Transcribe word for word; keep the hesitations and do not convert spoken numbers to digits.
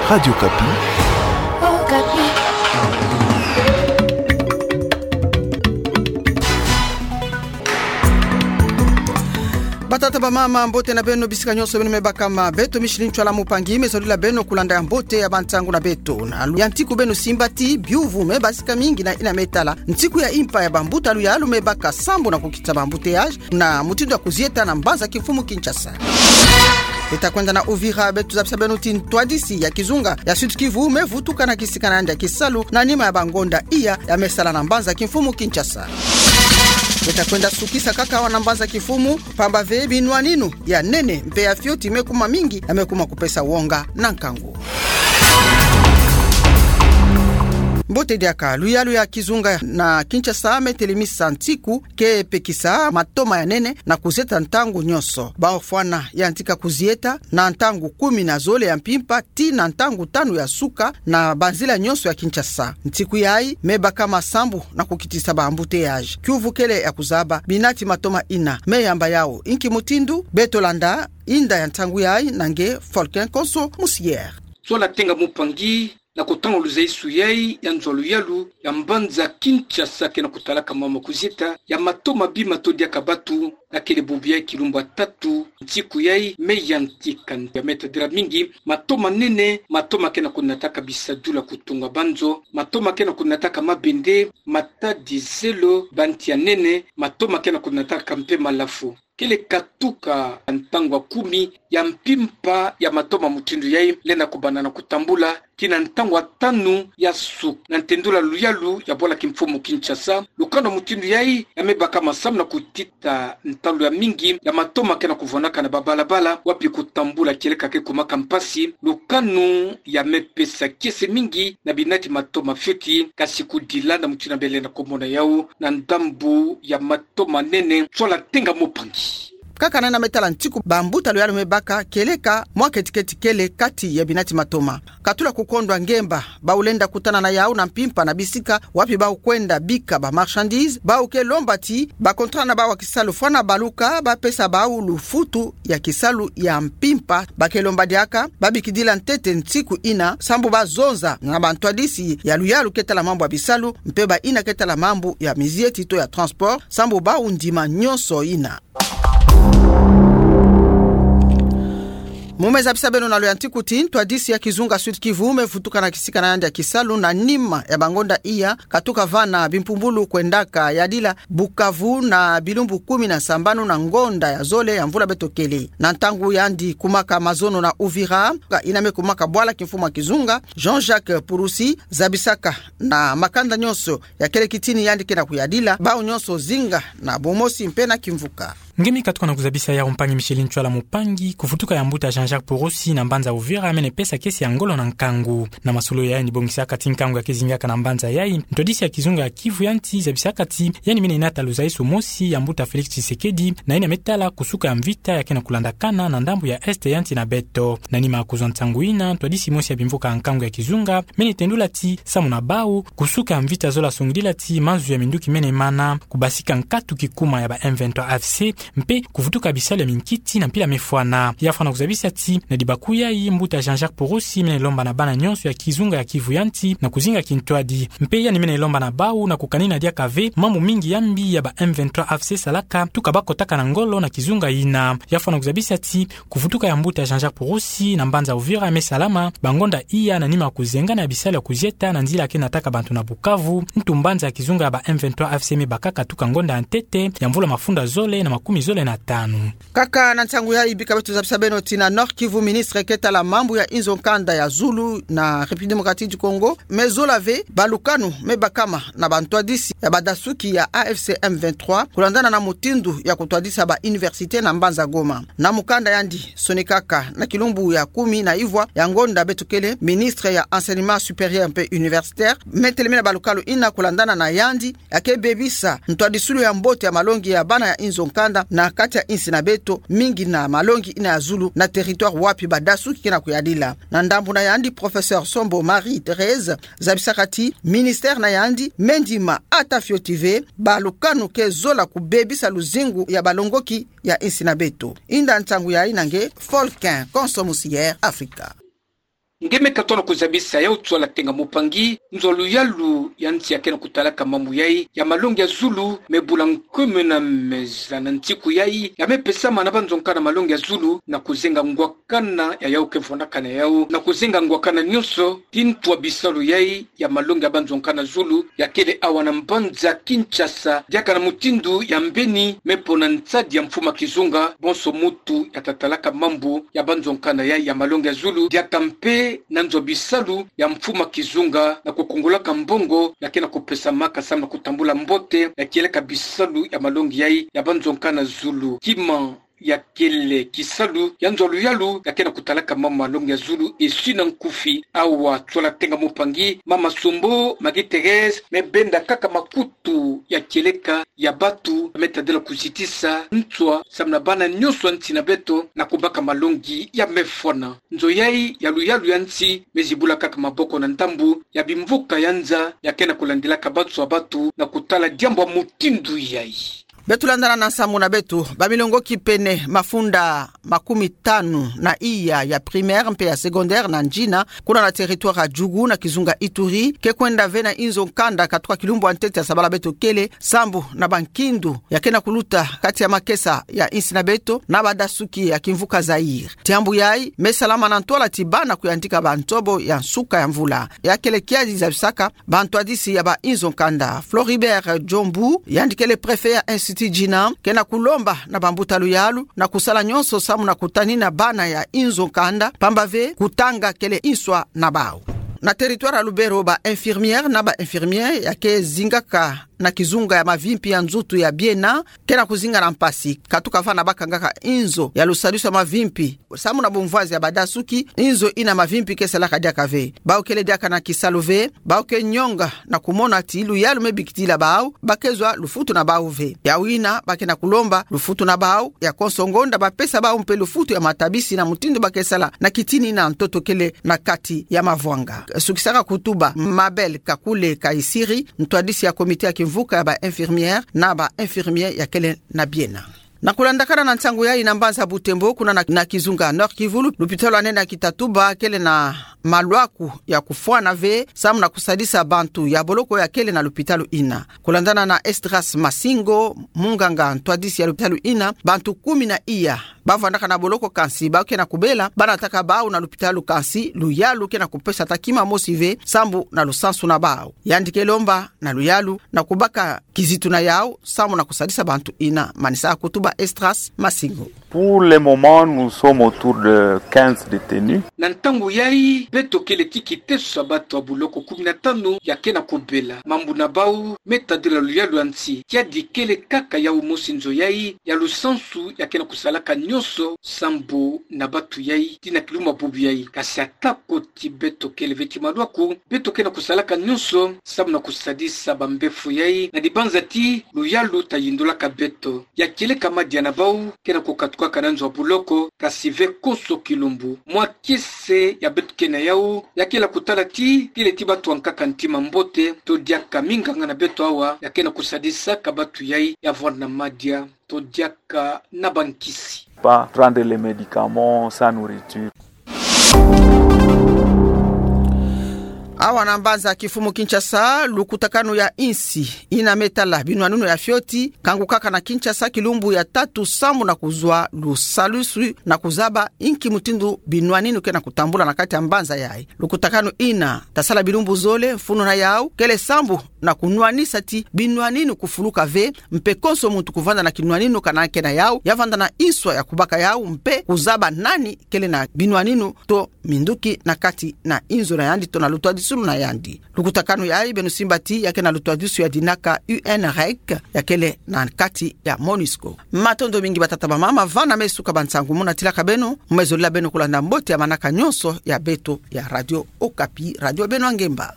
Radio Okapi. Batata, bamama, mbote na beno bisika nyonso beno me bakama. Beto Micheline Tshoala Mupangi me zolila beno kulanda ya mbote ya bantangu na beto. Na lu ya ntiku beno simba ti biuvu me basika mingi na ina me tala ntiku ya impa ya bambuta luyalu me baka sambu na kukitisa ba embouteillage na mutindu ya kuzieta na mbanza kimfumu Kinshasa. Beta kwenda na Uvira, beto zabisa beno ti ntwadisi ya kizunga ya Sud-Kivu me vutuka na kisika na yandi ya kisalu na nima ya bangonda iya ya me sala na mbanza kimfumu Kinshasa. Beta kwenda sukisa kaka awa na mbanza kimfumu, pamba ve binwaninu ya nene mpe ya fioti me kuma mingi ya me kuma kupesa wonga na nkangu. Mbote diaka, luyalu ya kizunga na Kinshasa me telemisa ntiku ke pekisa matoma ya nene na kuzieta ntangu nyonso. Bau fwana yantika kuzieta na ntangu kumi na zole ya mpimpa ti na ntangu tanu ya suka na banzila nyonso ya Kinshasa. Ntiku yayi me bakama sambu na kukitisa ba embouteillage. Kiuvu kele ya kuzaba, binati matoma ina me yamba yau inki mutindu. Beto landa inda ya ntangu yayi na nge Folkin Konso Musier. Tshoala Tenga Mupangi, na kotanga luzaisu yayi ya nzo luyalu ya mbanza Kinshasa ke na kutalaka mama kuzieta ya matoma bi mato diaka batu, na kele bubu yayi kilumbu ya tatu ntiku yayi me yantika ya me tadila mingi matoma nene, matoma ke na kunataka bisadulu ya kutunga banzo, matoma ke na kunataka mabende, matadi, zelo, banti ya nene, matoma ke na kunataka mpe malafu. Kele katuka ntangu ya kumi ya mpimpa ya matoma mutindu yayi lenda kubanda na kutambula kina ntangu ya tanu ya suka na ntendula luyalu ya bwala kimfumu Kinshasa. Lukanu mutindu yayi ya me bakama sambu na kutita ntalu ya mingi ya matoma ke na kuvwanaka na babalabala, wapi kutambula kieleka ke kumaka mpasi. Lukanu ya me pesa kiese mingi na binati matoma fioti, kasi kudila na mutindu ya bele na komona yau na ndambu ya matoma nene. Tshoala Tenga Mupangi. Kaka na ina me tala ntiku, bambuta luyalu me baka kieleka mwa ketiketi kele kati ya binati matoma. Katula kukondwa ngemba bau lenda kutana na yau na mpimpa na bisika wapi bau kwenda bika ba marchandises, bau ke lomba ti ba contrat na bau ya kisalu fwana baluka bapesa bau lufutu ya kisalu ya mpimpa. Ba ke lomba diaka babikidila ntete ntiku ina sambu bazonza na bantwadisi ya luyalu ke tala mambu ya bisalu mpe ba ina ke tala mambu ya mizieti to ya transport sambu bau ndima nyonso ina. Mu me zabisa beno na lo ya ntiku ti ntwadisi ya kizunga Sud-Kivu me vutuka na kisika na yandi ya kisalu na nima ya bangonda iya, katuka vana bimpumbulu kwendaka yadila Bukavu na bilumbu kumi na sambanu na ngonda ya zole ya mvula beto kele. Na ntangu yandi kumaka mazono na Uvira, ina me kumaka bwala kimfumu ya kizunga, Jean-Jacques Purusi zabisaka na makanda nyonso ya kele kitini yandi ke na kuyadila bau nyonso zinga na bumosi mpe na kimvuka. Nge mi katuka na kuzabisa yau mpangi Micheline Tshoala Mupangi, kuvutuka ya mbuta Jean-Jacques Purusi na mbanza Uvira mene pesa kiese ya ngolo na nkangu. Na masolo yayi ni bongisaka ti nkangu ya ke zingaka na mbanza yayi, ntwadisi ya kizunga ya Kivu ya nti zabisaka ti yandi mene nata luzaisu mosi ya mbuta Félix Tshisekedi na ina me tala kusuka ya mvita ya ke na kulandakana na ndambu ya Est ya nsi na beto. Na nima ya kuzwa nsangu ina, ntwadisi mosi ya bimvuka ya nkangu ya kizunga mene tendula ti samu na bau, kusuka ya mvita zola songidila ti mazu ya minduki mene mana, kubasika nkatu kikuma ya ba M vingt-trois A F C, mpe kuvutuka bisalu ya minkiti na mpila mefwana. Ya fwana kuzabisa ti na dibaku yayi, mbuta Jean-Jacques Purusi mene lomba na bana nyonso ya kizunga ya Kivu ya nti na kuzinga kintwadi. Mpe yandi mene lomba na bau na kukanina diaka ve mambu mingi ya mbi ya ba M vingt-trois A F C salaka, tuka bakotaka na ngolo na kizunga ina. Ya fwana kuzabisa ti kuvutuka ya mbuta Jean-Jacques Purusi na mbanza Uvira me salama bangonda iya na nima ya kuzengana ya bisalu ya kuzieta na nzila ke nataka bantu na Bukavu, ntu mbanza ya kizunga ya ba M vingt-trois A F C me bakaka tuka ngonda ya ntete ya mvula mafunda zole na makumi zole na tanu. Kaka na nsangu yayi bika beto zabisa beno ti na Nord-Kivu, ministre ke tala mambu ya inzo nkanda ya zulu na République Démocratique du Congo me zola ve balukanu me bakama na bantwadisi ya badasuki ya A F C M vingt-trois kulandana na mutindu ya kutwadisa ba université na mbanza Goma. Na mukanda yandi sonikaka na kilumbu ya kumi na ivwa ya ngonda beto kele, ministre ya Enseignement supérieur mpe universitaire me telemina balukalu ina kulandana na yandi ya ke bebisa ntwadisulu ya mbote ya malongi ya bana ya inzo nkanda na kati ya insi na beto, mingi na malongi ina ya zulu na territoire wapi badasuki ke na kuyadila. Na ndambu na yandi, professeur Sombo Marie-Thérèse zabisaka ti ministère na yandi me ndima ata fioti ve balukanu ke zola kubebisa luzingu ya balongoki ya insi na beto. Inda nsangu yayi na nge Folkin Konso Musier, Afrika. Nge me katoa na kuzabisa yau Tsoala Tenga Mupangi, nzo luyalu ya nsi ya ke na kutalaka mambu yai ya malongi ya zulu, me bula nkumuna meza na ntiku yai, ya me pesama na banzonka na malongi ya zulu, na kuzenga ngwakana ya yau ke vonakana yau, na kuzenga ngwakana nyonso, ti ntu wa bisalu yai, ya malongi ya banzonka na zulu, ya kele awa na mbanza Kinshasa, diaka na mutindu ya mbeni, me pona nsadi ya mfuma kizunga, bonso mutu ya tatalaka mambu ya banzonka na yai ya malongi ya zulu, diaka mpe na nzo bisalu ya mfuma kizunga, na kukungulaka mbongo, ya ke na kupesamaka samu na kutambula mbote, ya kieleka bisalu ya malongi yai ya banzonka na zulu. Kima ya kele kisalu ya nzo luyalu ya ke na kutalaka mambu malongi ya zulu, esi na nkufi. Awa Tsoala Tenga Mupangi, Mama Sombo, Magie Thérèse, me benda kaka makutu ya kieleka ya batu, me tadila kuzitisa ntswa samu na bana nyonso ya nsi na beto na kubaka malongi ya mefona. Nzo yai ya luyalu ya nsi, me zibula kaka maboko na ndambu ya bimvuka ya nza ya ke na kulandilaka banso ya batu na kutala diambu ya mutindu yai. Beto landana na nsamu na beto. Bamilongoki pene mafunda makumi tanu na iya ya primaire mpe ya secondaire na Ngina, kuna na territoire ya Djugu na kizunga Ituri, ke kwenda ve na inzo nkanda katuka kilumbu ya ntete ya sabala beto kele, sambu na bankindu ya ke na kuluta kati ya makesa ya insi na beto na badasuki ya kimvuka Zaïre. Diambu yai me salama na ntwala ti bana kuyandika ba ntobo ya nsuka ya mvula. Ya kele kiadi zabisaka bantwadisi ya ba inzo nkanda. Floribert Djombu, yandi kele préfet ya Institut Ngina, ke na kulomba na bambuta luyalu na kusala nyonso samu na kutanina bana ya inzo nkanda, pamba ve kutanga kele inswa na bau. Na territoire ya Lubero, ba infirmière na ba infirmier ya ke zingaka na kizunga ya mavimpi ya nzutu ya Biena, ke na kuzinga na mpasi, katuka va na bakangaka inzo ya lusadisu ya mavimpi samu na bumvwazi ya badasuki, inzo ina mavimpi ke salaka diaka ve. Bau kele diaka na kisalu ve, bau ke nyonga na kumona ti luyalu me bikitila bau, ba ke zwa lufutu na bau ve. Yau ina ba ke na kulomba lufutu na bau, ya konso ngonda ba pesa bau mpe lufutu ya matabisi na mutindu ba ke sala na kitinina ntoto kele na kati ya mavwanga. Sukisaka kutuba Mabel Kakule Kaisiri, ntwadisi ya comité ya kimvuka ya ba infirmière na ba infirmier ya kele na Biena. Na kulandakana na nsangu yai na mbanza Butembo, kuna na, na kizunga Nord-Kivu, lupitalu ya nene ya kitatuba kele na malwaku ya kufwana ve samu na kusadisa bantu ya boloko ya kele na lupitalu ina. Kulandana na Esdras Masingo, munganga ntwadisi ya lupitalu ina, bantu kumi na iya ba vandaka na boloko, kansi bau ke na kubela banataka bau na lupitalu, kansi luyalu ke na kupesa ata kima mosi ve sambu na lusansu na bau. Yandi ke lomba na luyalu na kubaka kizitu na yau samu na kusadisa bantu ina. Manisa kutuba Esdras Masingo. Pour le moment, nous sommes autour de quinze détenus. Na ntangu yai, beto kele ti kiteso ya bato ya boloko kumi na tanu ya ke na kubela. Mambu na bau me tadila luyalu ya nsi. Kiadi kele kaka yau mosi nzo yai ya lusansu ya ke na kusalaka nyonso sambu na bato yai ti na kilumbu ya bubu yai. Kasi ata ko ti beto kele ve ti malwaku, beto ke na kusalaka nyonso samu na kusadisa bambefo yai na dibanza ti luyalu ta yindulaka beto. Ya kieleka madia na bau ke na kukatukaka na nzo ya boloko, kasi ve konso kilumbu. Mwa kiese ya beto ke na yau ya kele kutala ti kele ti bato ya nkaka ntima mbote, to diaka minganga na beto awa ya ke na kusadisaka bato yai ya vwanda madia, to diaka na bankisi. Pas prendre les médicaments sans nourriture. Awa na mbanza kifumu Kinshasa, lukutakanu ya insi ina me tala binwaninu ya fioti kangukaka na Kinshasa kilumbu ya tatu samu na kuzwa lusadisu na kuzaba inki mutindu binwaninu ke na kutambula na kati ya mbanza yai. Lukutakanu ina ta sala bilumbu zole, mfunu na yau kele samu na kunwanisa ti binwaninu kufuluka ve, mpe konso muntu kuvanda na kinwaninu kana ke na yau, ya vanda na inswa ya kubaka yau, mpe kuzaba nani kele na binwaninu to minduki na kati na inzo na yandi to na lutwadisulu na yandi. Lukutakanu yai beno simba ti ya ke na lutwadisu ya dinaka U N REC, ya kele na kati ya MONUSCO. Matondo mingi batata bamama, vana me suka ba nsangu mu natilaka beno, me zolila beno kulanda mbote ya manaka nyonso ya beto ya Radio Okapi, radio beno ya ngemba.